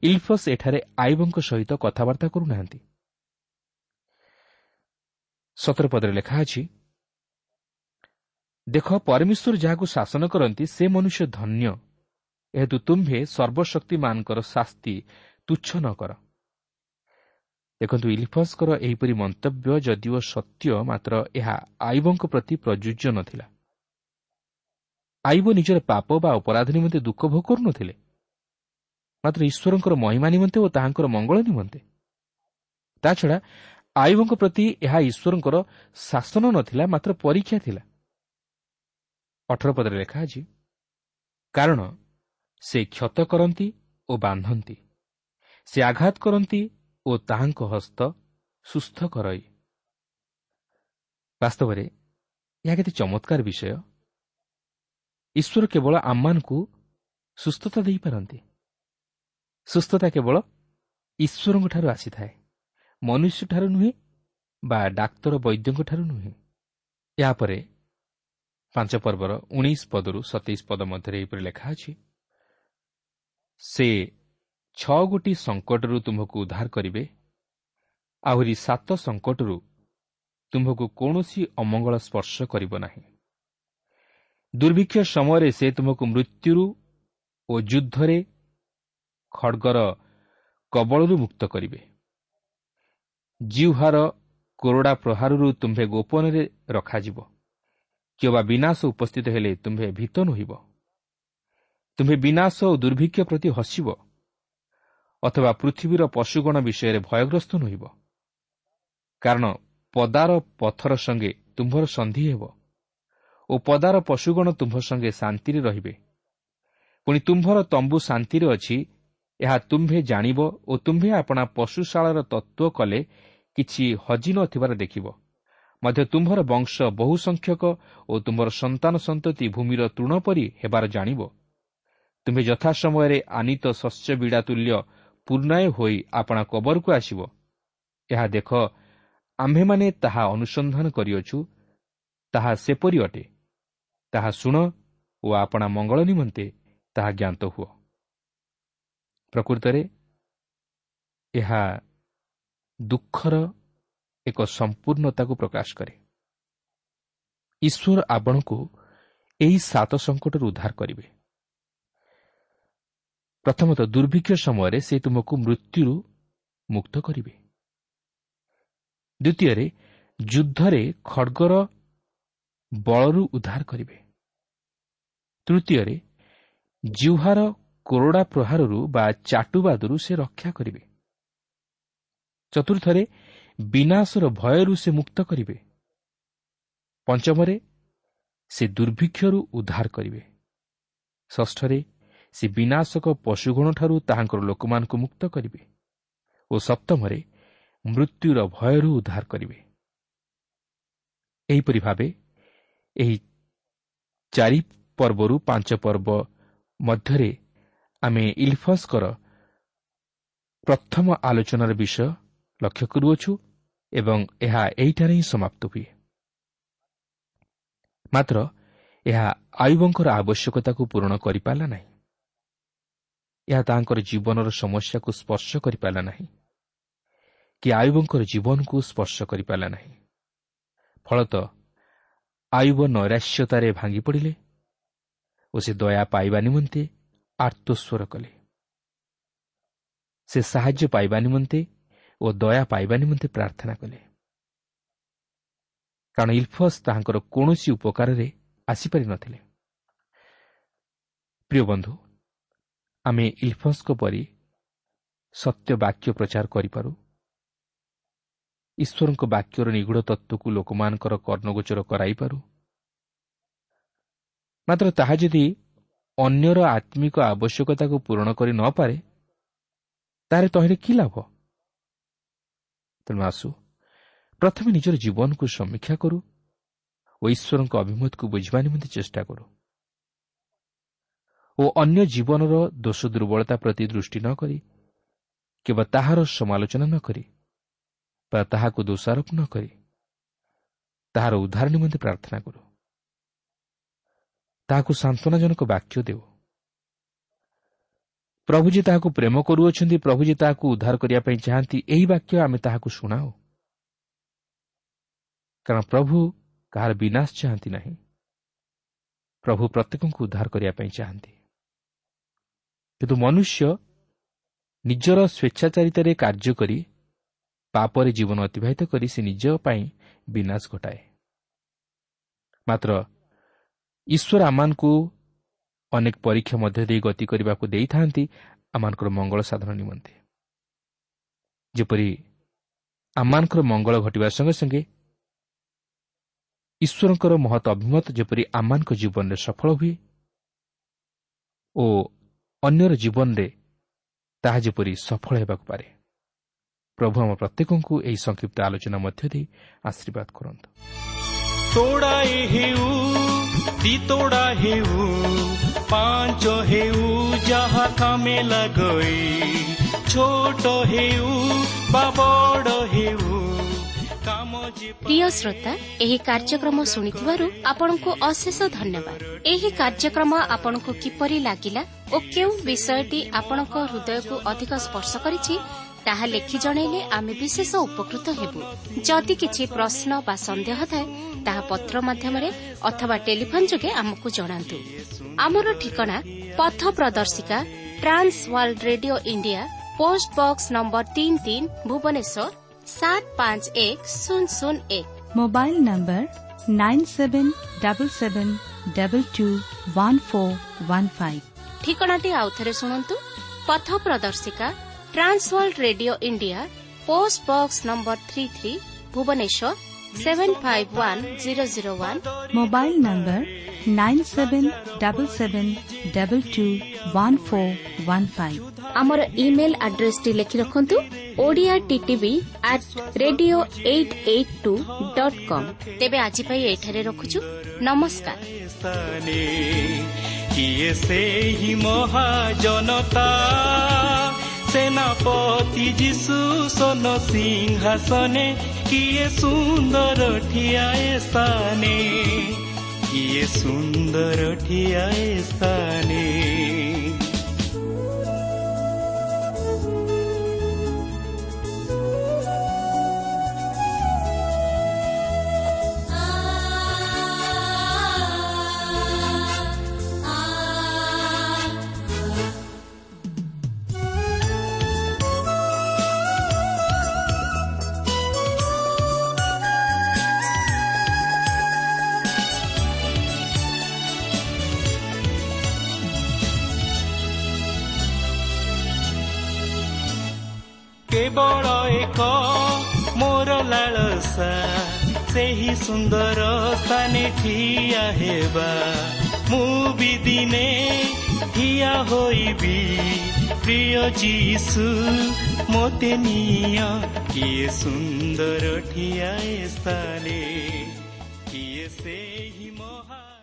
ଇଲଫସ୍ ଏଠାରେ ଆୟୁବଙ୍କ ସହିତ କଥାବାର୍ତ୍ତା କରୁନାହାନ୍ତି। ସତର ପଦରେ ଲେଖା ଅଛି, ଦେଖ, ପରମେଶ୍ୱର ଯାହାକୁ ଶାସନ କରନ୍ତି ସେ ମନୁଷ୍ୟ ଧନ୍ୟ, ଏହେତୁ ତୁମ୍ଭେ ସର୍ବଶକ୍ତିମାନଙ୍କର ଶାସ୍ତି ତୁଚ୍ଛ ନ କର। ଦେଖନ୍ତୁ, ଇଲିଫସ୍ଙ୍କର ଏହିପରି ମନ୍ତବ୍ୟ ଯଦିଓ ସତ୍ୟ, ମାତ୍ର ଏହା ଆୟୁବଙ୍କ ପ୍ରତି ପ୍ରଯୁଜ୍ୟ ନଥିଲା। ଆୟୁବ ନିଜର ପାପ ବା ଅପରାଧ ନିମନ୍ତେ ଦୁଃଖ ଭୋଗ କରୁନଥିଲେ, ମାତ୍ର ଈଶ୍ୱରଙ୍କର ମହିମା ନିମନ୍ତେ ଓ ତାହାଙ୍କର ମଙ୍ଗଳ ନିମନ୍ତେ। ତାଛଡ଼ା ଆୟୁବଙ୍କ ପ୍ରତି ଏହା ଈଶ୍ୱରଙ୍କର ଶାସନ ନଥିଲା, ମାତ୍ର ପରୀକ୍ଷା ଥିଲା। ଅଠର ପଦରେ ଲେଖା ଅଛି, କାରଣ ସେ କ୍ଷତ କରନ୍ତି ଓ ବାନ୍ଧନ୍ତି, ସେ ଆଘାତ କରନ୍ତି ଓ ତାହାଙ୍କ ହସ୍ତ ସୁସ୍ଥ କରଇ। ବାସ୍ତବରେ ଏହା କେତେ ଚମତ୍କାର ବିଷୟ। ଈଶ୍ୱର କେବଳ ଆମମାନଙ୍କୁ ସୁସ୍ଥତା ଦେଇପାରନ୍ତି। ସୁସ୍ଥତା କେବଳ ଈଶ୍ୱରଙ୍କଠାରୁ ଆସିଥାଏ, ମନୁଷ୍ୟଠାରୁ ନୁହେଁ ବା ଡାକ୍ତର ବୈଦ୍ୟଙ୍କଠାରୁ ନୁହେଁ। ଏହାପରେ ପାଞ୍ଚ ପର୍ବର ଉଣେଇଶ ପଦରୁ ସତେଇଶ ପଦ ମଧ୍ୟରେ ଏହିପରି ଲେଖା ଅଛି, ସେ ଛଅ ଗୋଟି ସଙ୍କଟରୁ ତୁମ୍ଭକୁ ଉଦ୍ଧାର କରିବେ, ଆହୁରି ସାତ ସଙ୍କଟରୁ ତୁମ୍ଭକୁ କୌଣସି ଅମଙ୍ଗଳ ସ୍ପର୍ଶ କରିବ ନାହିଁ। ଦୁର୍ଭିକ୍ଷ ସମୟରେ ସେ ତୁମକୁ ମୃତ୍ୟୁରୁ ଓ ଯୁଦ୍ଧରେ ଖଡ଼ଗର କବଳରୁ ମୁକ୍ତ କରିବେ। ଜିହ୍ୱାର କୋରଡ଼ା ପ୍ରହାରରୁ ତୁମ୍ଭେ ଗୋପନରେ ରଖାଯିବ, କିମ୍ବା ବିନାଶ ଉପସ୍ଥିତ ହେଲେ ତୁମ୍ଭେ ଭୀତ ନୋହିବ। ତୁମ୍ଭେ ବିନାଶ ଓ ଦୁର୍ଭିକ୍ଷ ପ୍ରତି ହସିବ, ଅଥବା ପୃଥିବୀର ପଶୁଗଣ ବିଷୟରେ ଭୟଗ୍ରସ୍ତ ନୋହିବ। କାରଣ ପଦାର ପଥର ସଙ୍ଗେ ତୁମ୍ଭର ସନ୍ଧି ହେବ ଓ ପଦାର ପଶୁଗଣ ତୁମ୍ଭ ସଙ୍ଗେ ଶାନ୍ତିରେ ରହିବେ। ପୁଣି ତୁମ୍ଭର ତମ୍ବୁ ଶାନ୍ତିରେ ଅଛି, ଏହା ତୁମ୍ଭେ ଜାଣିବ ଓ ତୁମ୍ଭେ ଆପଣା ପଶୁଶାଳାର ତତ୍ତ୍ୱ କଲେ କିଛି ହଜି ନଥିବାର ଦେଖିବ। ମଧ୍ୟ ତୁମ୍ଭର ବଂଶ ବହୁ ସଂଖ୍ୟକ ଓ ତୁମ୍ଭର ସନ୍ତାନ ସନ୍ତତି ଭୂମିର ତୃଣ ପରି ହେବାର ଜାଣିବ। ତୁମ୍ଭେ ଯଥା ସମୟରେ ଆନିତ ଶସ୍ୟ ବିଡ଼ା ତୁଲ୍ୟ ପୂର୍ଣ୍ଣାୟ ହୋଇ ଆପଣା କବରକୁ ଆସିବ। ଏହା ଦେଖ, ଆମ୍ଭେମାନେ ତାହା ଅନୁସନ୍ଧାନ କରିଅଛୁ, ତାହା ସେପରି ଅଟେ। ତାହା ଶୁଣ ଓ ଆପଣା ମଙ୍ଗଳ ନିମନ୍ତେ ତାହା ଜ୍ଞାତ ହୁଅ। ପ୍ରକୃତରେ ଏହା ଦୁଃଖର ଏକ ସମ୍ପୂର୍ଣ୍ଣତାକୁ ପ୍ରକାଶ କରେ। ଈଶ୍ୱର ଆପଣଙ୍କୁ ଏହି ସାତ ସଙ୍କଟରୁ ଉଦ୍ଧାର କରିବେ। ପ୍ରଥମତଃ, ଦୁର୍ଭିକ୍ଷ ସମୟରେ ସେ ତୁମକୁ ମୃତ୍ୟୁରୁ ମୁକ୍ତ କରିବେ। ଦ୍ୱିତୀୟରେ, ଯୁଦ୍ଧରେ ଖଡ଼ଗର ବଳରୁ ଉଦ୍ଧାର କରିବେ। ତୃତୀୟରେ, ଜିହ୍ୱାର କୋରଡ଼ା ପ୍ରହାରରୁ ବା ଚାଟୁବାଦରୁ ସେ ରକ୍ଷା କରିବେ। ଚତୁର୍ଥରେ, ବିନାଶର ଭୟରୁ ସେ ମୁକ୍ତ କରିବେ। ପଞ୍ଚମରେ, ସେ ଦୁର୍ଭିକ୍ଷରୁ ଉଦ୍ଧାର କରିବେ। ଷଷ୍ଠରେ, ସେ ବିନାଶକ ପଶୁଗଣଠାରୁ ତାହାଙ୍କର ଲୋକମାନଙ୍କୁ ମୁକ୍ତ କରିବେ ଓ ସପ୍ତମରେ, ମୃତ୍ୟୁର ଭୟରୁ ଉଦ୍ଧାର କରିବେ। ଏହିପରି ଭାବେ ଏହି ଚାରି ପର୍ବରୁ ପାଞ୍ଚ ପର୍ବ ମଧ୍ୟରେ ଆମେ ଇଲଫସ୍ଙ୍କର ପ୍ରଥମ ଆଲୋଚନାର ବିଷୟ ଲକ୍ଷ୍ୟ କରୁଅଛୁ ଏବଂ ଏହା ଏହିଠାରେ ହିଁ ସମାପ୍ତ ହୁଏ। ମାତ୍ର ଏହା ଆୟୁବଙ୍କର ଆବଶ୍ୟକତାକୁ ପୂରଣ କରିପାରିଲା ନାହିଁ। ଏହା ତାଙ୍କର ଜୀବନର ସମସ୍ୟାକୁ ସ୍ପର୍ଶ କରିପାରିଲା ନାହିଁ କି ଆୟୁବଙ୍କର ଜୀବନକୁ ସ୍ପର୍ଶ କରିପାରିଲା ନାହିଁ। ଫଳତଃ ଆୟୁବ ନୈରାଶ୍ୟତାରେ ଭାଙ୍ଗି ପଡ଼ିଲେ ଓ ସେ ଦୟା ପାଇବା ନିମନ୍ତେ ଆର୍ତ୍ତସ୍ୱର କଲେ। ସେ ସାହାଯ୍ୟ ପାଇବା ନିମନ୍ତେ ଓ ଦୟା ପାଇବା ନିମନ୍ତେ ପ୍ରାର୍ଥନା କଲେ, କାରଣ ଇଲଫସ୍ ତାହାଙ୍କର କୌଣସି ଉପକାରରେ ଆସିପାରିନଥିଲେ। ପ୍ରିୟ ବନ୍ଧୁ, ଆମେ ଇଲଫସ୍ଙ୍କ ପରି ସତ୍ୟ ବାକ୍ୟ ପ୍ରଚାର କରିପାରୁ, ଈଶ୍ୱରଙ୍କ ବାକ୍ୟର ନିଗୂଢ଼ ତତ୍ତ୍ୱକୁ ଲୋକମାନଙ୍କର କର୍ଣ୍ଣଗୋଚର କରାଇପାରୁ। ମାତ୍ର ତାହା ଯଦି ଅନ୍ୟର ଆତ୍ମିକ ଆବଶ୍ୟକତାକୁ ପୂରଣ କରି ନପାରେ, ତାହେଲେ ତହିଁରେ କି ଲାଭ? ତେଣୁ ଆସୁ ପ୍ରଥମେ ନିଜର ଜୀବନକୁ ସମୀକ୍ଷା କରୁ ଓ ଈଶ୍ୱରଙ୍କ ଅଭିମତକୁ ବୁଝିବା ନିମନ୍ତେ ଚେଷ୍ଟା କରୁ ଓ ଅନ୍ୟ ଜୀବନର ଦୋଷ ଦୁର୍ବଳତା ପ୍ରତି ଦୃଷ୍ଟି ନ କରି କିମ୍ବା ତାହାର ସମାଲୋଚନା ନ କରି ବା ତାହାକୁ ଦୋଷାରୋପ ନ କରି ତାହାର ଉଦ୍ଧାର ନିମନ୍ତେ ପ୍ରାର୍ଥନା କରୁ, ତାହାକୁ ସାନ୍ତ୍ୱନାଜନକ ବାକ୍ୟ ଦେଉ। ପ୍ରଭୁ ଯେ ତାହାକୁ ପ୍ରେମ କରୁଅଛନ୍ତି, ପ୍ରଭୁ ଯେ ତାହାକୁ ଉଦ୍ଧାର କରିବା ପାଇଁ ଚାହାନ୍ତି, ଏହି ବାକ୍ୟ ଆମେ ତାହାକୁ ଶୁଣାଉ। କାରଣ ପ୍ରଭୁ କାହାର ବିନାଶ ଚାହାନ୍ତି ନାହିଁ, ପ୍ରଭୁ ପ୍ରତ୍ୟେକଙ୍କୁ ଉଦ୍ଧାର କରିବା ପାଇଁ ଚାହାନ୍ତି। କିନ୍ତୁ ମନୁଷ୍ୟ ନିଜର ସ୍ୱେଚ୍ଛାଚାରିତାରେ କାର୍ଯ୍ୟ କରି ପାପରେ ଜୀବନ ଅତିବାହିତ କରି ସେ ନିଜ ପାଇଁ ବିନାଶ ଘଟାଏ। ମାତ୍ର ଈଶ୍ୱର ଆମମାନଙ୍କୁ ଅନେକ ପରୀକ୍ଷା ମଧ୍ୟ ଦେଇ ଗତି କରିବାକୁ ଦେଇଥାନ୍ତି ଆମମାନଙ୍କର ମଙ୍ଗଳ ସାଧନ ନିମନ୍ତେ, ଯେପରି ଆମମାନଙ୍କର ମଙ୍ଗଳ ଘଟିବା ସଙ୍ଗେ ସଙ୍ଗେ ଈଶ୍ୱରଙ୍କର ମହତ୍ ଅଭିମତ ଯେପରି ଆମମାନଙ୍କ ଜୀବନରେ ସଫଳ ହୁଏ ଓ ଅନ୍ୟର ଜୀବନରେ ତାହା ଯେପରି ସଫଳ ହେବାକୁ ପାରେ। ପ୍ରଭୁ ଆମ ପ୍ରତ୍ୟେକଙ୍କୁ ଏହି ସଂକ୍ଷିପ୍ତ ଆଲୋଚନା ମଧ୍ୟ ଦେଇ ଆଶୀର୍ବାଦ କରନ୍ତୁ। ତୋଡ଼ାଏ ହେଉ ଦିତୋଡ଼ା ହେଉ ପାଞ୍ଚ ହେଉ ଯାହା କାମେ ଲାଗଇ, ଛୋଟ ହେଉ ବା ବଡ଼ ହେଉ। ପ୍ରିୟ ଶ୍ରୋତା, ଏହି କାର୍ଯ୍ୟକ୍ରମ ଶୁଣିଥିବାରୁ ଆପଣଙ୍କୁ ଅଶେଷ ଧନ୍ୟବାଦ। ଏହି କାର୍ଯ୍ୟକ୍ରମ ଆପଣଙ୍କୁ କିପରି ଲାଗିଲା ଓ କେଉଁ ବିଷୟଟି ଆପଣଙ୍କ ହୃଦୟକୁ ଅଧିକ ସ୍ପର୍ଶ କରିଛି ତାହା ଲେଖି ଜଣାଇଲେ ଆମେ ବିଶେଷ ଉପକୃତ ହେବୁ। ଯଦି କିଛି ପ୍ରଶ୍ନ ବା ସନ୍ଦେହ ଥାଏ ତାହା ପତ୍ର ମାଧ୍ୟମରେ ଅଥବା ଟେଲିଫୋନ୍ ଯୋଗେ ଆମକୁ ଜଣାନ୍ତୁ। ଆମର ଠିକଣା ପଥ ପ୍ରଦର୍ଶିକା, Trans World Radio India, post box number ତିନି ତିନି, ଭୁବନେଶ୍ୱର ସାତ ପାଞ୍ଚ ଏକ ଶୂନ ଶୂନ ଏକ। Mobile number nine seven double seven double two one four one five. ଠିକଣାଟି ଆଉଥରେ ଶୁଣନ୍ତୁ। ପଥ ପ୍ରଦର୍ଶିକା, Trans World Radio India, post box number three three, Bhubaneswar seven five one zero zero one. Mobile number nine seven double seven double two one four one five. ଆମର email ଆଡ୍ରେସଟି ଲେଖି ରଖନ୍ତୁ, Odia TTV at radio eight eight two dot com. ତେବେ ଆଜି ପାଇଁ ଏଠାରେ ରଖୁଛୁ, ନମସ୍କାର। କିଏ ସେହି ମହାଜନତା, ସେନାପତି ଯୀଶୁ ସୋନ ସିଂହାସନେ, କିଏ ସୁନ୍ଦର ଠିଆଏ ସ୍ଥାନେ, କିଏ ସୁନ୍ଦର ଠିଆଏ ସ୍ଥାନେ। କେବଳ ଏକ ମୋର ଲାଳସା, ସେହି ସୁନ୍ଦର ସ୍ଥାନେ ଠିଆ ହେବା। ମୁଁ ବି ଦିନେ ଠିଆ ହୋଇବି, ପ୍ରିୟ ଯୀଶୁ ମୋତେ ନିଅ, କିଏ ସୁନ୍ଦର ଠିଆ ସ୍ଥାନେ। କିଏ ସେହି ମହା